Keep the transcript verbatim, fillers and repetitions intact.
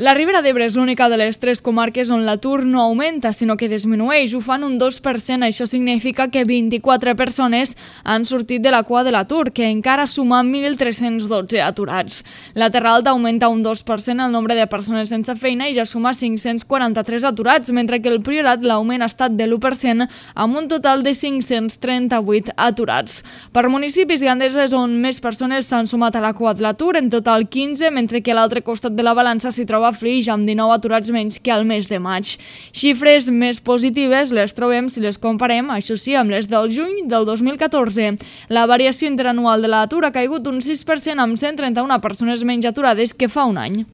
La Ribera d'Ebre és l'única de les tres comarques on l'atur no augmenta, sinó que disminueix, ho fan un dos per cent. Això significa que vint-i-quatre persones han sortit de la cua de l'atur, que encara suma mil tres-cents dotze aturats. La Terra Alta augmenta un dos per cent el nombre de persones sense feina i ja suma cinc-cents quaranta-tres aturats, mentre que el Priorat l'augment ha estat de l'u per cent, amb un total de cinc-cents trenta-vuit aturats. Per municipis Gandesa és on més persones s'han sumat a la cua de l'atur, en total quinze, mentre que a l'altre costat de la balança s'hi troba Flix, amb dinou aturats menys que al mes de maig. Xifres més positives les trobem si les comparem, això sí, amb les del juny del dos mil catorze. La variació interanual de l'atur ha caigut un sis per cent, amb cent trenta-una persones menys aturades que fa un any.